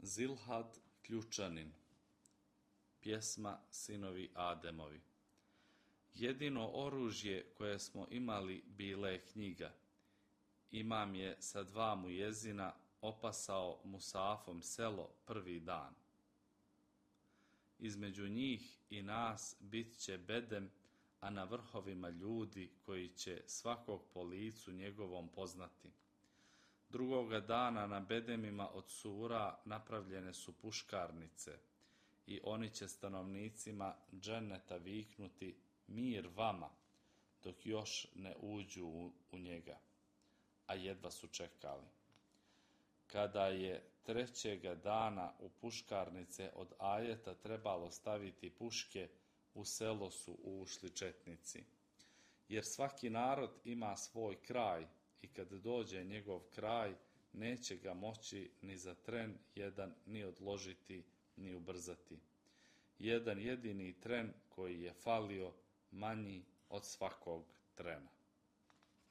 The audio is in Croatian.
Zilhad Ključanin. Pjesma Sinovi Ademovi. Jedino oružje koje smo imali bila je knjiga. Imam je sa 2 mujezina opasao Musafom selo prvi dan. Između njih i nas bit će bedem, a na vrhovima ljudi koji će svakog po licu njegovom poznati. Drugoga dana na bedemima od sura napravljene su puškarnice i oni će stanovnicima dženeta viknuti mir vama, dok još ne uđu u njega, a jedva su čekali. Kada je 3. dana u puškarnice od ajeta trebalo staviti puške, u selo su ušli četnici. Jer svaki narod ima svoj kraj i kad dođe njegov kraj, neće ga moći ni za tren jedan ni odložiti, ni ubrzati. Jedan jedini tren koji je falio manji od svakog trena.